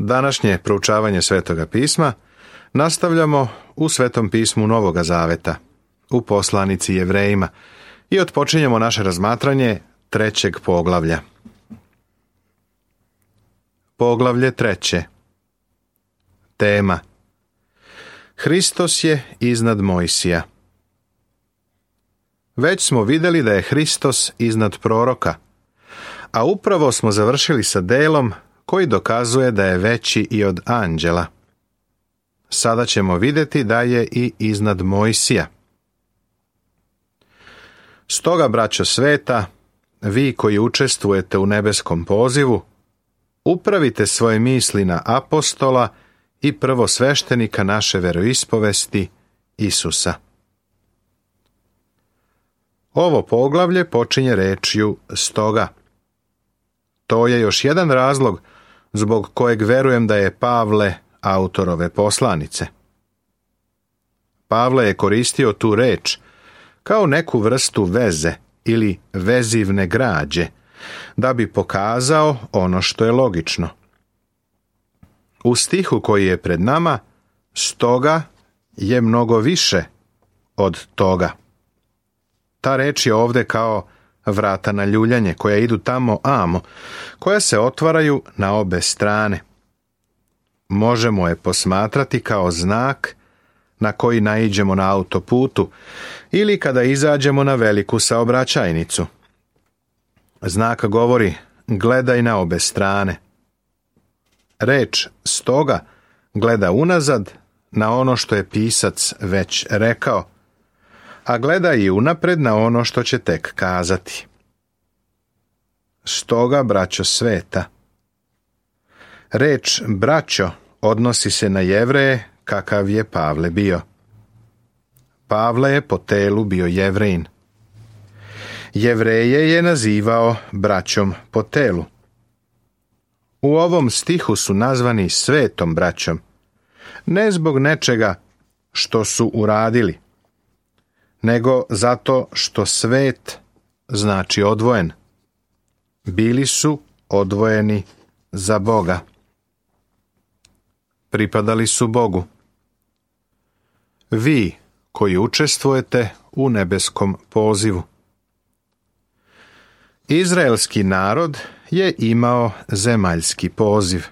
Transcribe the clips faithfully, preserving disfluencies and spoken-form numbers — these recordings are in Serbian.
Današnje proučavanje Svetoga pisma nastavljamo u Svetom pismu Novoga Zaveta, u poslanici Jevrejima, i otpočinjemo naše razmatranje trećeg poglavlja. Poglavlje treće. Tema: Hristos je iznad Mojsija. Već smo vidjeli da je Hristos iznad proroka, a upravo smo završili sa delom koji dokazuje da je veći i od anđela. Sada ćemo vidjeti da je i iznad Mojsija. Stoga, braćo sveta, vi koji učestvujete u nebeskom pozivu, upravite svoje misli na apostola i prvosveštenika naše veroispovesti, Isusa. Ovo poglavlje počinje rečju stoga. To je još jedan razlog zbog kojeg verujem da je Pavle autor ove poslanice. Pavle je koristio tu reč kao neku vrstu veze ili vezivne građe, da bi pokazao ono što je logično. U stihu koji je pred nama, stoga je mnogo više od toga. Ta reč je ovdje kao vrata na ljuljanje, koja idu tamo amo, koja se otvaraju na obe strane. Možemo je posmatrati kao znak na koji naiđemo na autoputu ili kada izađemo na veliku saobraćajnicu. Znak govori: gledaj na obe strane. Reč stoga gleda unazad na ono što je pisac već rekao, a gleda i unapred na ono što će tek kazati. Stoga, braćo sveta. Reč braćo odnosi se na Jevreje kakav je Pavle bio. Pavle je po telu bio Jevrejin. Jevreje je nazivao braćom po telu. U ovom stihu su nazvani svetom braćom, ne zbog nečega što su uradili, nego zato što svet znači odvojen. Bili su odvojeni za Boga. Pripadali su Bogu. Vi koji učestvujete u nebeskom pozivu. Izraelski narod je imao zemaljski poziv.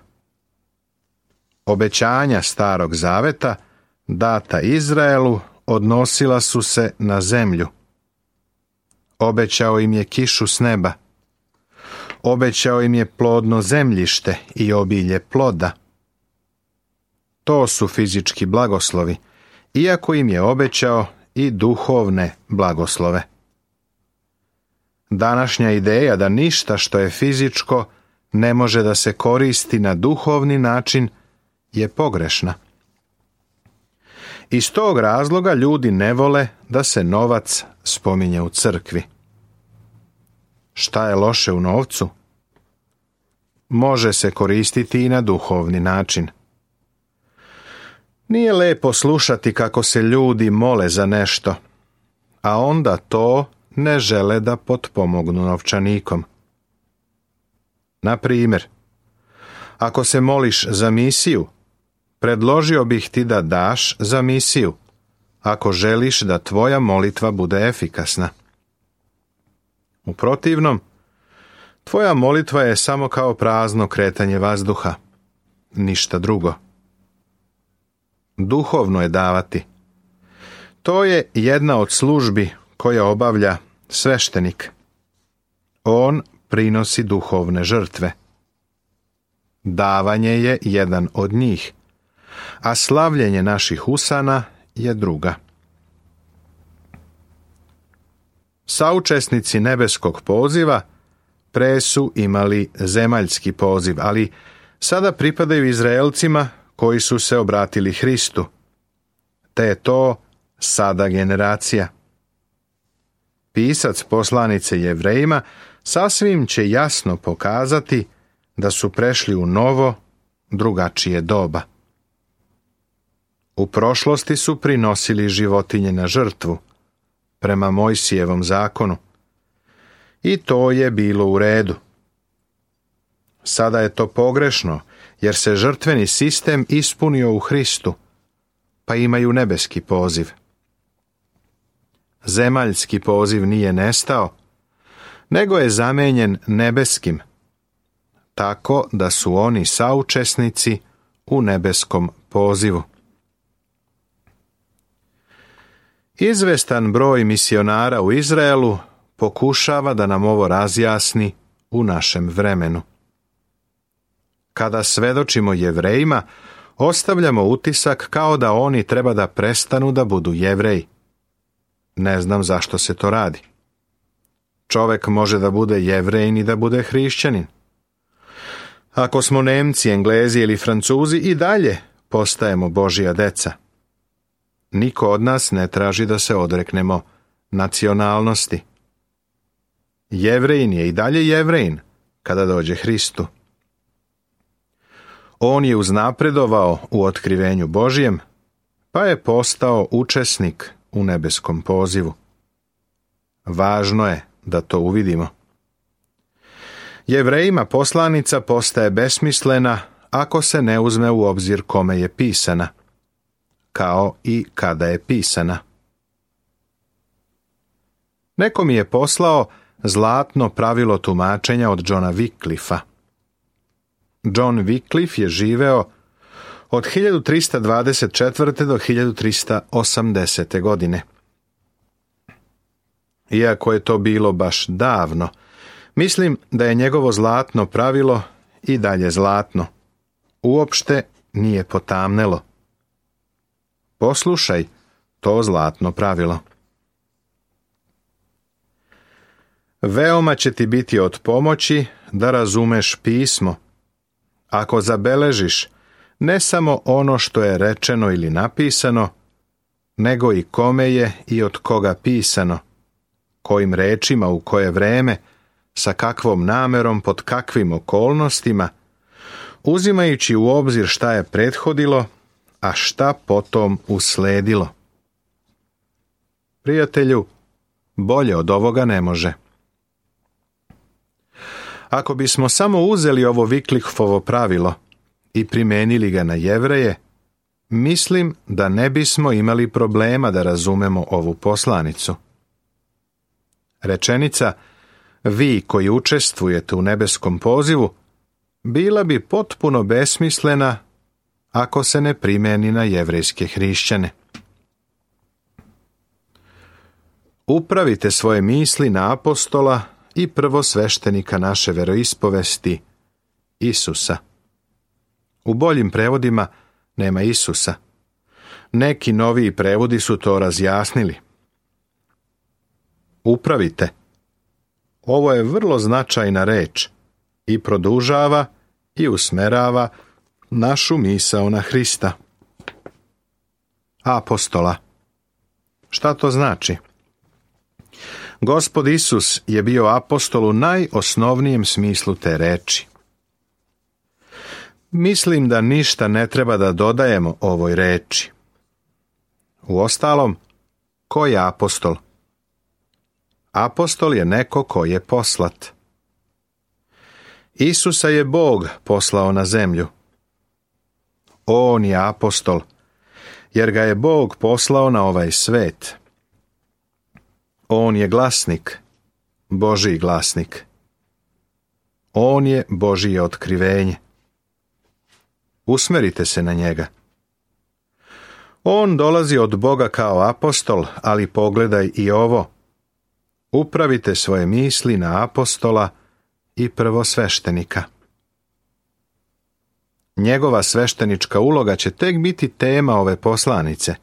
Obećanja Starog Zaveta data Izraelu odnosila su se na zemlju. Obećao im je kišu s neba. Obećao im je plodno zemljište i obilje ploda. To su fizički blagoslovi, iako im je obećao i duhovne blagoslove. Današnja ideja da ništa što je fizičko ne može da se koristi na duhovni način je pogrešna. Iz tog razloga ljudi ne vole da se novac spominje u crkvi. Šta je loše u novcu? Može se koristiti i na duhovni način. Nije lepo slušati kako se ljudi mole za nešto, a onda to ne žele da potpomognu novčanikom. Na primjer, ako se moliš za misiju, predložio bih ti da daš za misiju, ako želiš da tvoja molitva bude efikasna. U protivnom, tvoja molitva je samo kao prazno kretanje vazduha, ništa drugo. Duhovno je davati. To je jedna od službi koja obavlja sveštenik. On prinosi duhovne žrtve. Davanje je jedan od njih, a slavljenje naših usana je druga. Saučesnici nebeskog poziva pre su imali zemaljski poziv, ali sada pripadaju Izraelcima koji su se obratili Hristu, te je to sada generacija. Pisac poslanice Jevrejima sasvim će jasno pokazati da su prešli u novo, drugačije doba. U prošlosti su prinosili životinje na žrtvu, prema Mojsijevom zakonu, i to je bilo u redu. Sada je to pogrešno, jer se žrtveni sistem ispunio u Hristu, pa imaju nebeski poziv. Zemaljski poziv nije nestao, nego je zamenjen nebeskim, tako da su oni saučesnici u nebeskom pozivu. Izvestan broj misionara u Izraelu pokušava da nam ovo razjasni u našem vremenu. Kada svedočimo Jevrejima, ostavljamo utisak kao da oni treba da prestanu da budu Jevreji. Ne znam zašto se to radi. Čovek može da bude Jevrejin i da bude hrišćanin. Ako smo Nemci, Englezi ili Francuzi, i dalje postajemo Božja deca. Niko od nas ne traži da se odreknemo nacionalnosti. Jevrejin je i dalje Jevrejin kada dođe Hristu. On je uznapredovao u otkrivenju Božjem, pa je postao učesnik u nebeskom pozivu. Važno je da to uvidimo. Jevrejima poslanica postaje besmislena ako se ne uzme u obzir kome je pisana, kao i kada je pisana. Neko mi je poslao zlatno pravilo tumačenja od Johna Wycliffa. John Wycliffe je živeo od hiljadu trista dvadeset četvrte do hiljadu trista osamdesete godine. Iako je to bilo baš davno, mislim da je njegovo zlatno pravilo i dalje zlatno. Uopšte nije potamnelo. Poslušaj to zlatno pravilo. Veoma će ti biti od pomoći da razumeš pismo, ako zabeležiš ne samo ono što je rečeno ili napisano, nego i kome je i od koga pisano, kojim rečima u koje vreme, sa kakvom namerom, pod kakvim okolnostima, uzimajući u obzir šta je prethodilo, a šta potom usledilo. Prijatelju, bolje od ovoga ne može. Ako bismo samo uzeli ovo Wycliffovo pravilo i primenili ga na Jevreje, mislim da ne bismo imali problema da razumemo ovu poslanicu. Rečenica vi koji učestvujete u nebeskom pozivu bila bi potpuno besmislena ako se ne primeni na jevrejske hrišćane. Upravite svoje misli na apostola i prvosveštenika naše veroispovesti, Isusa. U boljim prevodima nema Isusa. Neki noviji prevodi su to razjasnili. Upravite. Ovo je vrlo značajna reč i produžava i usmerava našu misao na Hrista. Apostola. Šta to znači? Gospod Isus je bio apostol u najosnovnijem smislu te reči. Mislim da ništa ne treba da dodajemo ovoj reči. Uostalom, ko je apostol? Apostol je neko ko je poslat. Isusa je Bog poslao na zemlju. On je apostol, jer ga je Bog poslao na ovaj svet. On je glasnik, Božji glasnik. On je Božje otkrivenje. Usmerite se na njega. On dolazi od Boga kao apostol, ali pogledaj i ovo. Upravite svoje misli na apostola i prvosveštenika. Njegova sveštenička uloga će tek biti tema ove poslanice.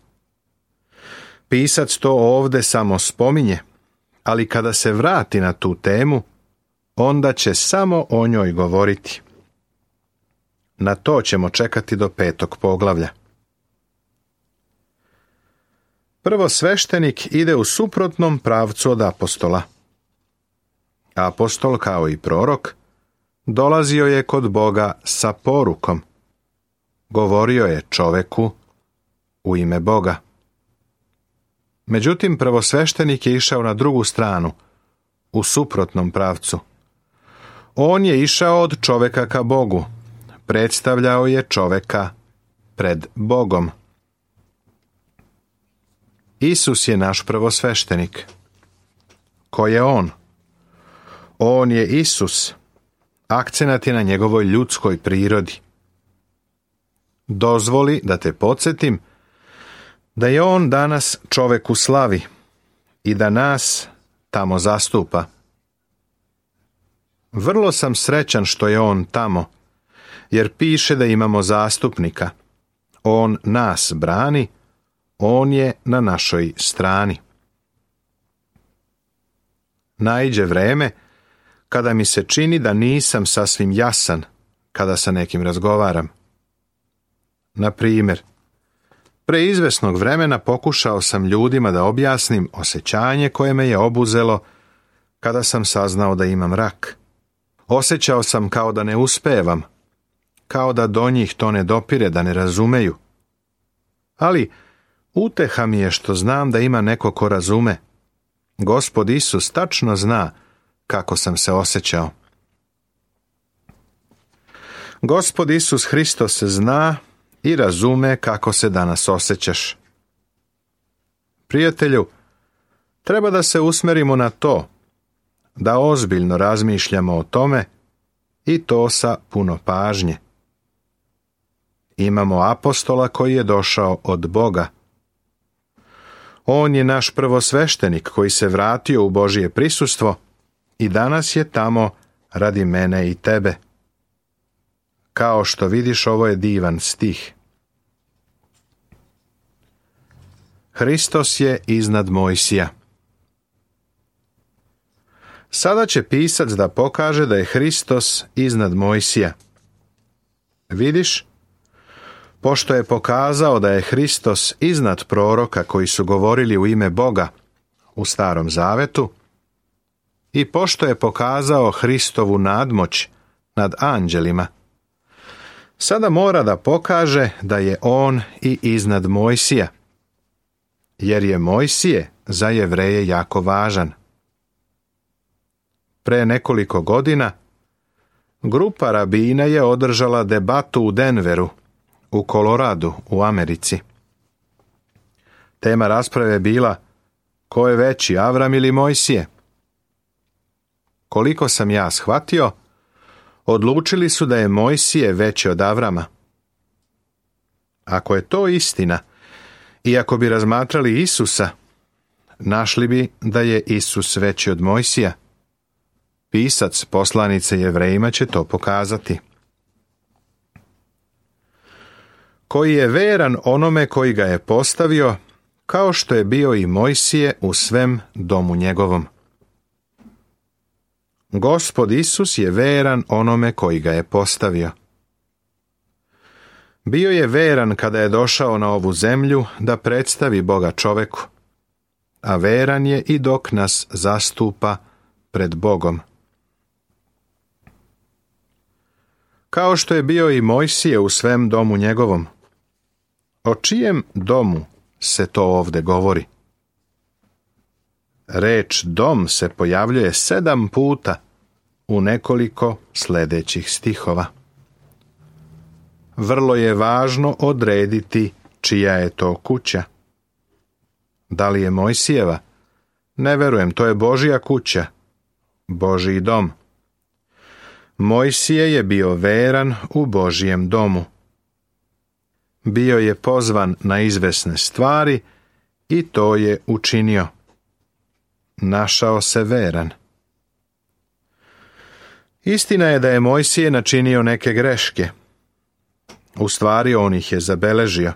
Pisac to ovde samo spominje, ali kada se vrati na tu temu, onda će samo o njoj govoriti. Na to ćemo čekati do petog poglavlja. Prvosveštenik ide u suprotnom pravcu od apostola. Apostol, kao i prorok, dolazio je kod Boga sa porukom. Govorio je čoveku u ime Boga. Međutim, prvosveštenik je išao na drugu stranu, u suprotnom pravcu. On je išao od čoveka ka Bogu, predstavljao je čoveka pred Bogom. Isus je naš prvosveštenik. Ko je on? On je Isus. Akcenat je na njegovoj ljudskoj prirodi. Dozvoli da te podsjetim da je on danas čovek u slavi i da nas tamo zastupa. Vrlo sam srećan što je on tamo, jer piše da imamo zastupnika. On nas brani, on je na našoj strani. Naiđe vreme kada mi se čini da nisam sasvim jasan kada sa nekim razgovaram. Na primjer, pre izvesnog vremena pokušao sam ljudima da objasnim osjećanje koje me je obuzelo kada sam saznao da imam rak. Osjećao sam kao da ne uspevam, kao da do njih to ne dopire, da ne razumeju. Ali uteha mi je što znam da ima neko ko razume. Gospod Isus tačno zna kako sam se osjećao. Gospod Isus Hristos zna i razume kako se danas osjećaš. Prijatelju, treba da se usmerimo na to, da ozbiljno razmišljamo o tome i to sa puno pažnje. Imamo apostola koji je došao od Boga. On je naš prvosveštenik koji se vratio u Božje prisustvo i danas je tamo radi mene i tebe. Kao što vidiš, ovo je divan stih. Hristos je iznad Mojsija. Sada će pisac da pokaže da je Hristos iznad Mojsija. Vidiš, pošto je pokazao da je Hristos iznad proroka koji su govorili u ime Boga u Starom Zavetu, i pošto je pokazao Hristovu nadmoć nad anđelima, sada mora da pokaže da je on i iznad Mojsija, jer je Mojsije za Jevreje jako važan. Pre nekoliko godina grupa rabina je održala debatu u Denveru, u Koloradu, u Americi. Tema rasprave je bila: ko je veći, Avram ili Mojsije? Koliko sam ja shvatio, odlučili su da je Mojsije veći od Avrama. Ako je to istina, i ako bi razmatrali Isusa, našli bi da je Isus veći od Mojsija. Pisac poslanice Jevrejima će to pokazati. Koji je veran onome koji ga je postavio, kao što je bio i Mojsije u svem domu njegovom. Gospod Isus je veran onome koji ga je postavio. Bio je veran kada je došao na ovu zemlju da predstavi Boga čoveku, a veran je i dok nas zastupa pred Bogom. Kao što je bio i Mojsije u svem domu njegovom. O čijem domu se to ovde govori? Reč dom se pojavljuje sedam puta u nekoliko sljedećih stihova. Vrlo je važno odrediti čija je to kuća. Da li je Mojsijeva? Ne verujem, to je Božja kuća, Božji dom. Mojsije je bio veran u Božjem domu. Bio je pozvan na izvesne stvari i to je učinio. Našao se veran. Istina je da je Mojsije načinio neke greške. U stvari on ih je zabeležio.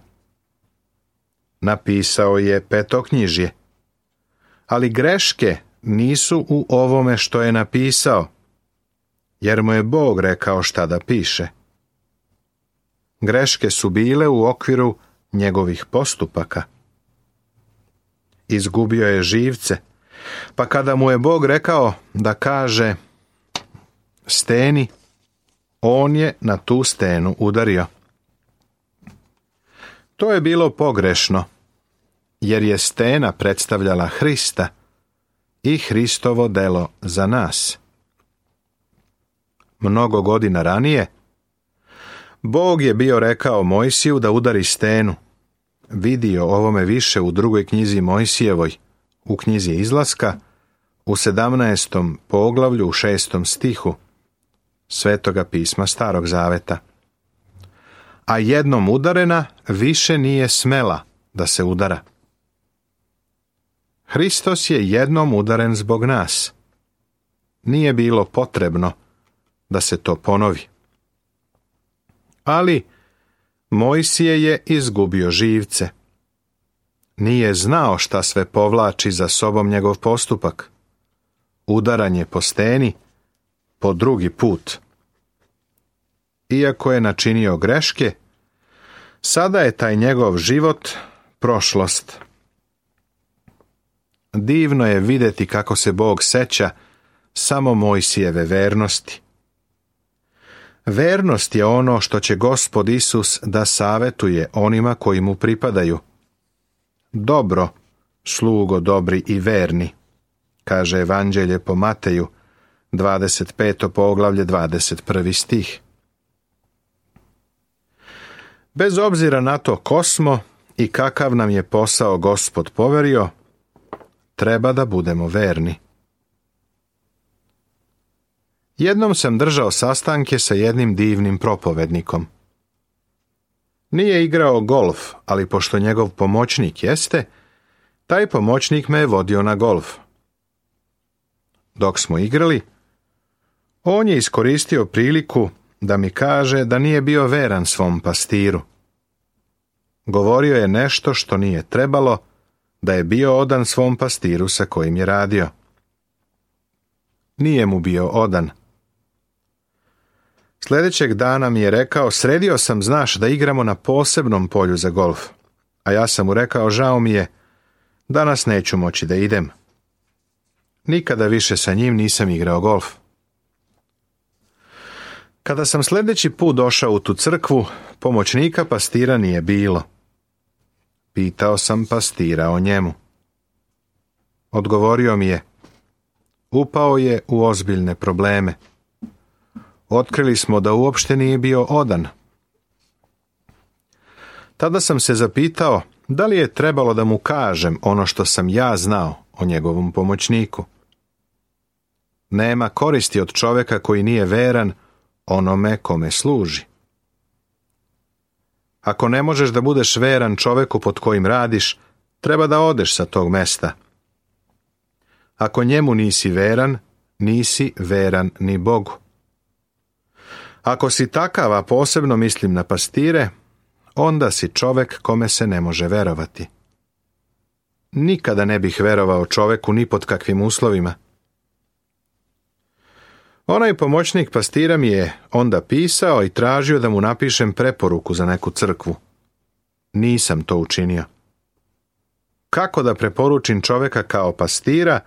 Napisao je petoknjižje. Ali greške nisu u ovome što je napisao, jer mu je Bog rekao šta da piše. Greške su bile u okviru njegovih postupaka. Izgubio je živce, pa kada mu je Bog rekao da kaže steni, on je na tu stenu udario. To je bilo pogrešno, jer je stena predstavljala Hrista i Hristovo delo za nas. Mnogo godina ranije, Bog je bio rekao Mojsiju da udari stenu. Vidio ovome više u drugoj knjizi Mojsijevoj, u knjizi Izlaska, u sedamnaestom poglavlju u šestom stihu Svetoga pisma Starog zaveta. A jednom udarena više nije smela da se udara. Hristos je jednom udaren zbog nas. Nije bilo potrebno da se to ponovi. Ali Mojsije je izgubio živce. Nije znao šta sve povlači za sobom njegov postupak. Udaranje po steni po drugi put. Iako je načinio greške, sada je taj njegov život prošlost. Divno je vidjeti kako se Bog seća samo Mojsijeve vernosti. Vernost je ono što će Gospod Isus da savetuje onima koji mu pripadaju. Dobro, slugo dobri i verni, kaže Evanđelje po Mateju, dvadeset peto poglavlje, dvadeset prvi stih. Bez obzira na to ko smo i kakav nam je posao Gospod poverio, treba da budemo verni. Jednom sam držao sastanke sa jednim divnim propovednikom. Nije igrao golf, ali pošto njegov pomoćnik jeste, taj pomoćnik me je vodio na golf. Dok smo igrali, on je iskoristio priliku da mi kaže da nije bio veran svom pastiru. Govorio je nešto što nije trebalo, da je bio odan svom pastiru sa kojim je radio. Nije mu bio odan. Sljedećeg dana mi je rekao, sredio sam, znaš, da igramo na posebnom polju za golf. A ja sam mu rekao, žao mi je, danas neću moći da idem. Nikada više sa njim nisam igrao golf. Kada sam sljedeći put došao u tu crkvu, pomoćnika pastira nije bilo. Pitao sam pastira o njemu. Odgovorio mi je, upao je u ozbiljne probleme. Otkrili smo da uopšte nije bio odan. Tada sam se zapitao da li je trebalo da mu kažem ono što sam ja znao o njegovom pomoćniku. Nema koristi od čovjeka koji nije veran onome kome služi. Ako ne možeš da budeš veran čovjeku pod kojim radiš, treba da odeš sa tog mesta. Ako njemu nisi veran, nisi veran ni Bogu. Ako si takav, a posebno mislim na pastire, onda si čovjek kome se ne može verovati. Nikada ne bih verovao čovjeku ni pod kakvim uslovima. Onaj pomoćnik pastira mi je onda pisao i tražio da mu napišem preporuku za neku crkvu. Nisam to učinio. Kako da preporučim čovjeka kao pastira,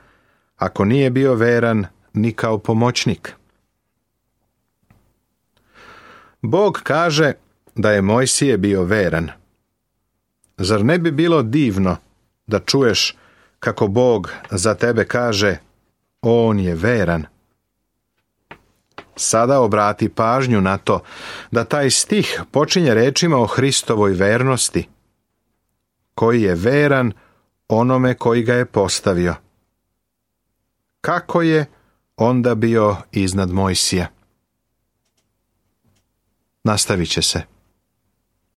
ako nije bio veran ni kao pomoćnik? Bog kaže da je Mojsije bio veran. Zar ne bi bilo divno da čuješ kako Bog za tebe kaže, on je veran? Sada obrati pažnju na to da taj stih počinje rečima o Hristovoj vernosti, koji je veran onome koji ga je postavio. Kako je onda bio iznad Mojsija? Nastavit će se.